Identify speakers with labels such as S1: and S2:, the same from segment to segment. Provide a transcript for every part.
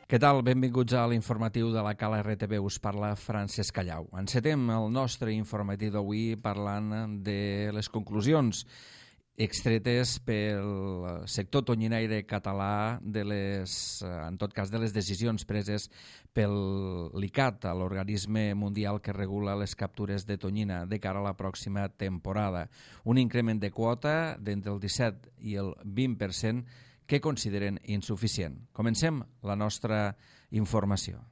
S1: Què tal? Benvinguts a l'informatiu de la Cala RTV. Us parla Francesc Callau. Encetem el nostre informatiu d'avui parlant de les conclusions extretes pel sector tonyinaire català, en tot cas de les decisions preses pel l'ICAT, l'organisme mundial que regula les captures de tonyina de cara a la pròxima temporada. Un increment de quota d'entre el 17 i el 20% que consideren insuficient. Comencem la nostra informació.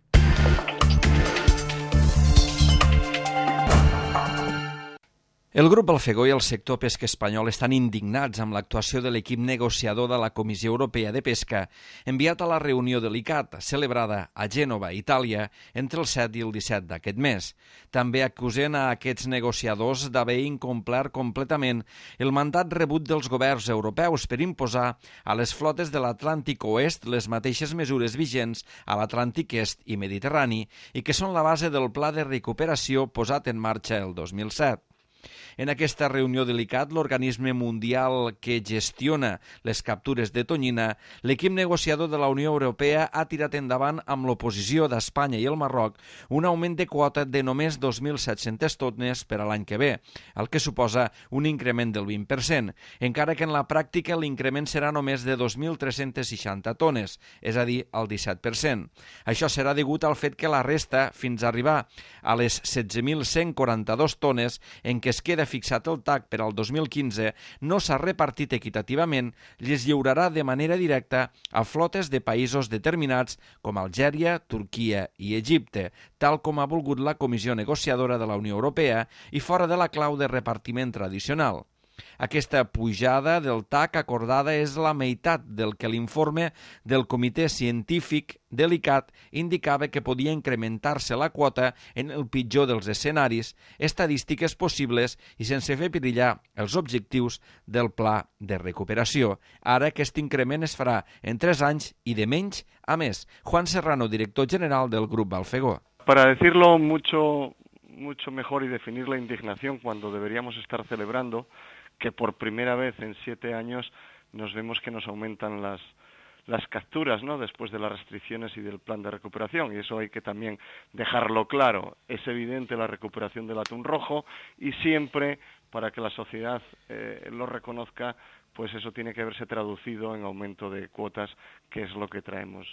S1: El grup Alfegó i el sector pesca espanyol estan indignats amb l'actuació de l'equip negociador de la Comissió Europea de Pesca enviat a la reunió de l'ICAT, celebrada a Gènova, Itàlia, entre el 7 i el 17 d'aquest mes. També acusen a aquests negociadors d'haver incomplert completament el mandat rebut dels governs europeus per imposar a les flotes de l'Atlàntic Oest les mateixes mesures vigents a l'Atlàntic Est i Mediterrani i que són la base del pla de recuperació posat en marxa el 2007. En aquesta reunió de l'ICAT, l'organisme mundial que gestiona les captures de tonyina, l'equip negociador de la Unió Europea ha tirat endavant amb l'oposició d'Espanya i el Marroc un augment de quota de només 2.700 tones per a l'any que ve, el que suposa un increment del 20%, encara que en la pràctica l'increment serà només de 2.360 tones, és a dir, el 17%. Això serà degut al fet que la resta, fins a arribar a les 16.142 tones en què es queda fixat el TAC per al 2015, no s'ha repartit equitativament i es lliurarà de manera directa a flotes de països determinats com Algèria, Turquia i Egipte, tal com ha volgut la Comissió Negociadora de la Unió Europea i fora de la clau de repartiment tradicional. Aquesta pujada del TAC acordada és la meitat del que l'informe del Comitè Científic de l'ICAT indicava que podia incrementar-se la quota en el pitjor dels escenaris, estadístiques possibles i sense fer perillar els objectius del pla de recuperació. Ara aquest increment es farà en 3 anys i de menys a més. Juan Serrano, director general del Grup Alfegó.
S2: Para decirlo mucho mejor y definir la indignación cuando deberíamos estar celebrando que por primera vez en 7 años nos vemos que nos aumentan las capturas, ¿no?, después de las restricciones y del plan de recuperación, y eso hay que también dejarlo claro. Es evidente la recuperación del atún rojo y siempre, para que la sociedad lo reconozca, pues eso tiene que verse traducido en aumento de cuotas, que es lo que traemos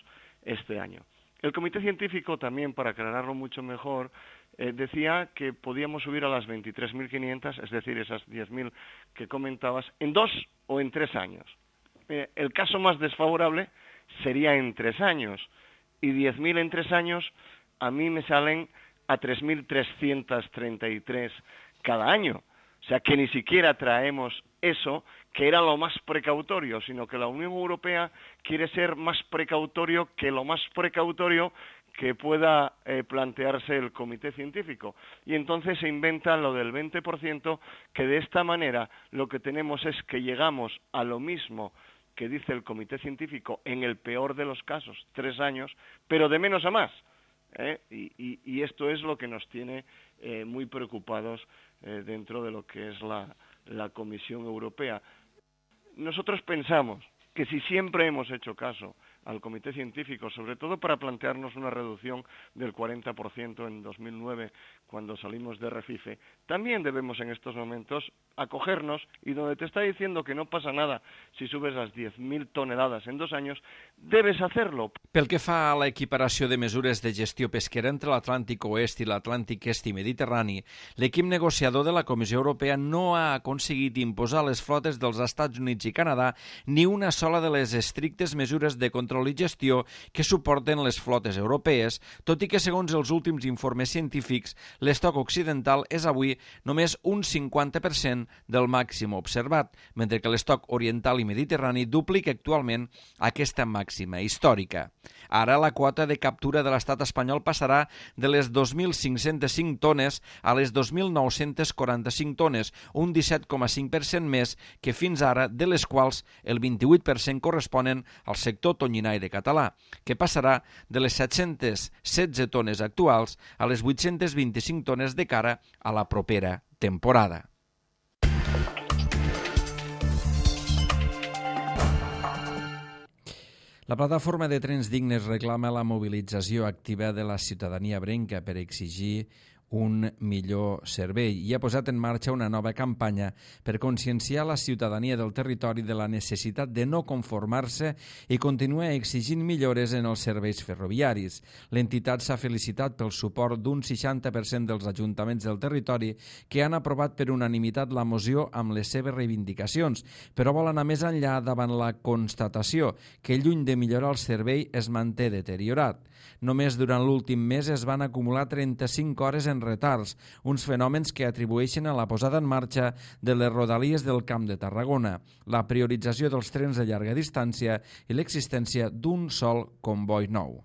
S2: este año. El Comité Científico también, para aclararlo mucho mejor, decía que podíamos subir a las 23.500, es decir, esas 10.000 que comentabas, en 2 o en 3 años. El caso más desfavorable sería en 3 años, y 10.000 en 3 años a mí me salen a 3.333 cada año. O sea que ni siquiera traemos eso, que era lo más precautorio, sino que la Unión Europea quiere ser más precautorio que lo más precautorio que pueda plantearse el Comité Científico. Y entonces se inventa lo del 20%, que de esta manera lo que tenemos es que llegamos a lo mismo que dice el Comité Científico en el peor de los casos, 3 años, pero de menos a más. Y esto es lo que nos tiene muy preocupados dentro de lo que es la Comisión Europea. Nosotros pensamos que si siempre hemos hecho caso al Comité Científico, sobre todo para plantearnos una reducción del 40% en 2009, cuando salimos de Refife, también debemos en estos momentos acogernos, y donde te está diciendo que no pasa nada si subes las 10.000 toneladas en 2 años, debes hacerlo.
S1: Pel que fa a l'equiparació de mesures de gestió pesquera entre l'Atlàntic Oest i l'Atlàntic Est i Mediterrani, l'equip negociador de la Comissió Europea no ha aconseguit imposar a les flotes dels Estats Units i Canadà ni una sola de les estrictes mesures de control i gestió que suporten les flotes europees, tot i que segons els últims informes científics, l'estoc occidental és avui només un 50% del màxim observat, mentre que l'estoc oriental i mediterrani duplica actualment aquesta màxima històrica. Ara la quota de captura de l'estat espanyol passarà de les 2.505 tones a les 2.945 tones, un 17,5% més que fins ara, de les quals el 28% corresponen al sector tonyinaire català, que passarà de les 716 tones actuals a les 825 tones de cara a la propera temporada. La plataforma de Trens Dignes reclama la mobilització activa de la ciutadania ebrenca per exigir un millor servei i ha posat en marxa una nova campanya per conscienciar la ciutadania del territori de la necessitat de no conformar-se i continuar exigint millores en els serveis ferroviaris. L'entitat s'ha felicitat pel suport d'un 60% dels ajuntaments del territori que han aprovat per unanimitat la moció amb les seves reivindicacions, però vol anar més enllà davant la constatació que lluny de millorar el servei es manté deteriorat. Només durant l'últim mes es van acumular 35 hores en retards, uns fenòmens que atribueixen a la posada en marxa de les rodalies del Camp de Tarragona, la priorització dels trens de llarga distància i l'existència d'un sol comboi nou.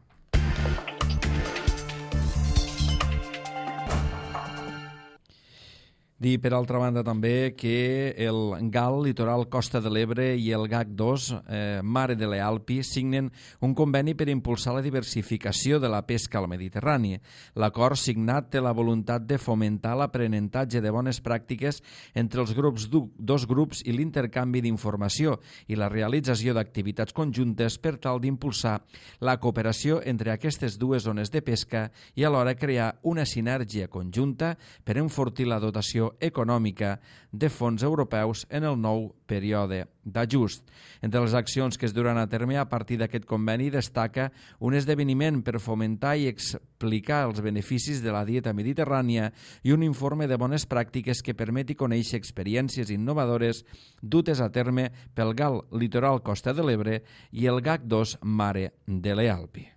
S1: Dir, per altra banda, també que el GAL, Litoral Costa de l'Ebre, i el GAC2, Mare de l'Alpi, signen un conveni per impulsar la diversificació de la pesca al Mediterrani. L'acord signat té la voluntat de fomentar l'aprenentatge de bones pràctiques entre els dos grups i l'intercanvi d'informació i la realització d'activitats conjuntes per tal d'impulsar la cooperació entre aquestes dues zones de pesca i alhora crear una sinergia conjunta per enfortir la dotació econòmica de fons europeus en el nou període d'ajust. Entre les accions que es duran a terme a partir d'aquest conveni destaca un esdeveniment per fomentar i explicar els beneficis de la dieta mediterrània i un informe de bones pràctiques que permeti conèixer experiències innovadores dutes a terme pel GAL Litoral Costa de l'Ebre i el GAC2 Mare de l'Alpi.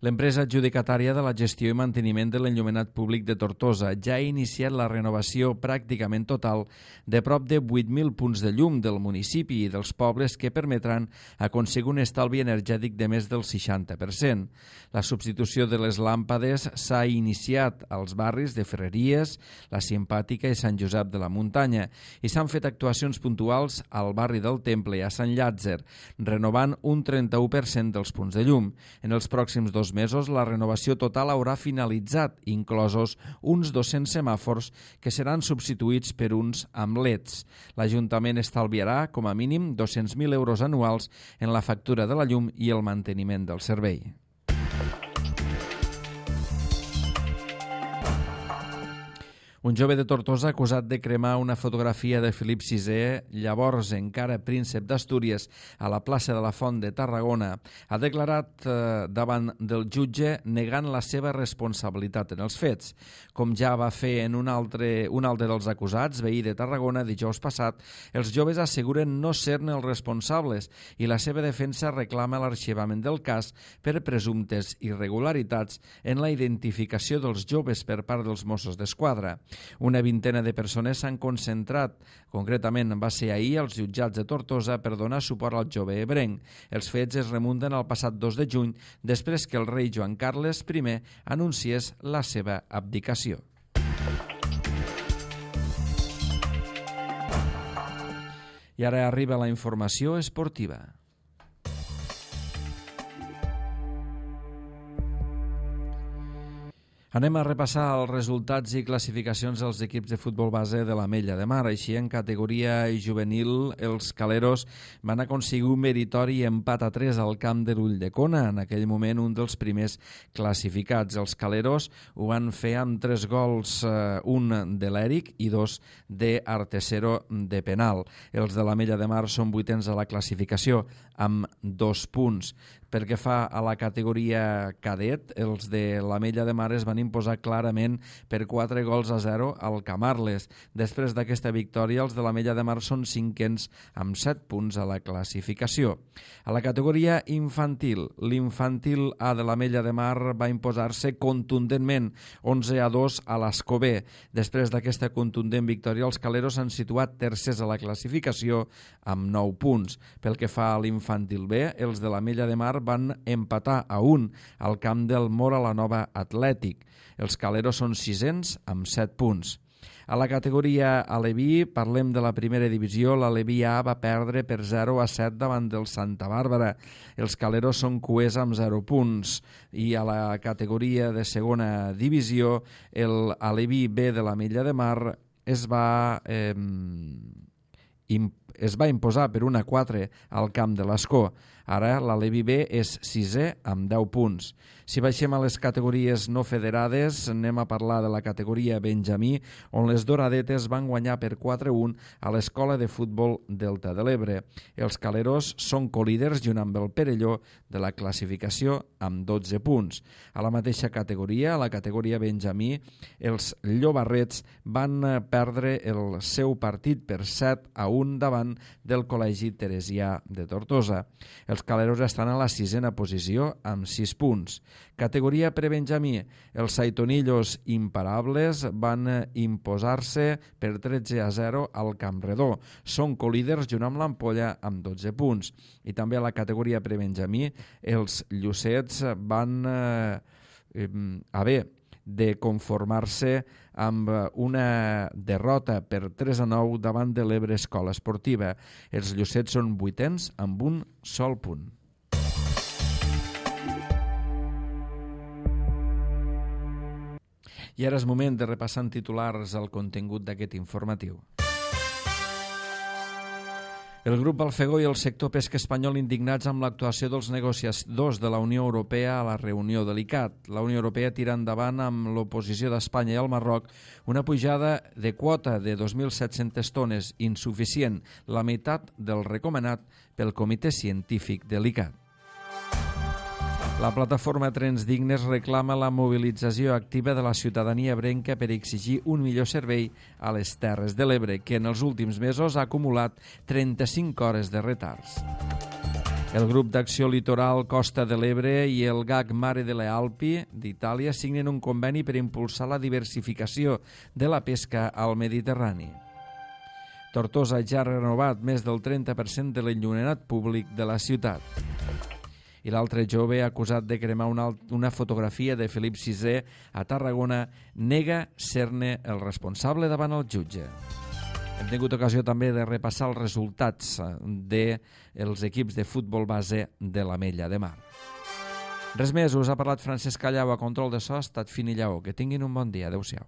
S1: L'empresa adjudicatària de la gestió i manteniment de l'enllumenat públic de Tortosa ja ha iniciat la renovació pràcticament total de prop de 8.000 punts de llum del municipi i dels pobles que permetran aconseguir un estalvi energètic de més del 60%. La substitució de les làmpades s'ha iniciat als barris de Ferreries, La Simpàtica i Sant Josep de la Muntanya i s'han fet actuacions puntuals al barri del Temple i a Sant Llàtzer, renovant un 31% dels punts de llum. En els pròxims 2 mesos la renovació total haurà finalitzat, inclosos uns 200 semàfors que seran substituïts per uns amb LEDs. L'Ajuntament estalviarà com a mínim 200.000 euros anuals en la factura de la llum i el manteniment del servei. Un jove de Tortosa acusat de cremar una fotografia de Felip VI, llavors encara príncep d'Astúries, a la plaça de la Font de Tarragona, ha declarat davant del jutge negant la seva responsabilitat en els fets. Com ja va fer en un altre dels acusats, veí de Tarragona, dijous passat, els joves asseguren no ser-ne els responsables i la seva defensa reclama l'arxivament del cas per presumptes irregularitats en la identificació dels joves per part dels Mossos d'Esquadra. Una vintena de persones s'han concentrat, concretament va ser ahir als jutjats de Tortosa per donar suport al jove ebrenc. Els fets es remunten al passat 2 de juny, després que el rei Joan Carles I anunciés la seva abdicació. I ara arriba la informació esportiva. Anem a repassar els resultats i classificacions dels equips de futbol base de l'Ametlla de Mar. Així, en categoria juvenil, els caleros van aconseguir un meritori empat a 3 al camp de l'Ulldecona, en aquell moment un dels primers classificats. Els caleros ho van fer amb 3 gols, un de l'Eric i 2 d'Artesero de penal. Els de l'Ametlla de Mar són 8ens a la classificació, amb 2 punts. Pel que fa a la categoria cadet, els de l'Ametlla de Mar es van imposar clarament per 4-0 al Camarles. Després d'aquesta victòria, els de l'Ametlla de Mar són 5ens amb 7 punts a la classificació. A la categoria infantil, l'infantil A de l'Ametlla de Mar va imposar-se contundentment 11-2 a l'Escobé. Després d'aquesta contundent victòria, els caleros s'han situat tercers a la classificació amb 9 punts. Pel que fa a l'infantil B, els de l'Ametlla de Mar van empatar a 1 al camp del Mora la Nova Atlètic. Els caleros són 6ens amb 7 punts. A la categoria Aleví, parlem de la primera divisió, l'Aleví A va perdre per 0-7 davant del Santa Bàrbara. Els caleros són cuers amb 0 punts. I a la categoria de segona divisió, l'Aleví B de l'Ametlla de Mar es va es va imposar per 1-4 al camp de l'Escó. Ara la Levi B és 6è amb 10 punts. Si baixem a les categories no federades, anem a parlar de la categoria Benjamí, on les Doradetes van guanyar per 4-1 a l'Escola de Futbol Delta de l'Ebre. Els Caleros són colíders junt amb el Perelló de la classificació amb 12 punts. A la mateixa categoria, a la categoria Benjamí, els Llobarrets van perdre el seu partit per 7-1 davant del Col·legi Teresià de Tortosa. Els Caleros estan a la 6a posició amb 6 punts. Categoria prebenjamí, els Saitonillos imparables van imposar-se per 13-0 al Campredó. Són colíders junt amb l'Ampolla amb 12 punts. I també a la categoria prebenjamí, els Llucets van haver de conformar-se amb una derrota per 3-9 davant de l'Ebre Escola Esportiva. Els Llucets són 8ens amb un sol punt. I ara és moment de repassar en titulars el contingut d'aquest informatiu. El grup Balfegó i el sector pesca espanyol indignats amb l'actuació dels negociadors de la Unió Europea a la reunió de l'ICAT. La Unió Europea tira endavant amb l'oposició d'Espanya i el Marroc una pujada de quota de 2.700 tones, insuficient, la meitat del recomanat pel Comitè Científic de l'ICAT. La plataforma Trens Dignes reclama la mobilització activa de la ciutadania ebrenca per exigir un millor servei a les Terres de l'Ebre, que en els últims mesos ha acumulat 35 hores de retards. El grup d'acció litoral Costa de l'Ebre i el GAC Mare delle Alpi d'Itàlia signen un conveni per impulsar la diversificació de la pesca al Mediterrani. Tortosa ja ha renovat més del 30% de l'enllumenat públic de la ciutat. I l'altre jove acusat de cremar una fotografia de Felip VI a Tarragona nega ser-ne el responsable davant el jutge. Hem tingut ocasió també de repassar els resultats dels equips de futbol base de l'Ametlla de Mar. Res més, us ha parlat Francesc Callau a control de so, ha estat Fini Lleó. Que tinguin un bon dia. Adéu-siau.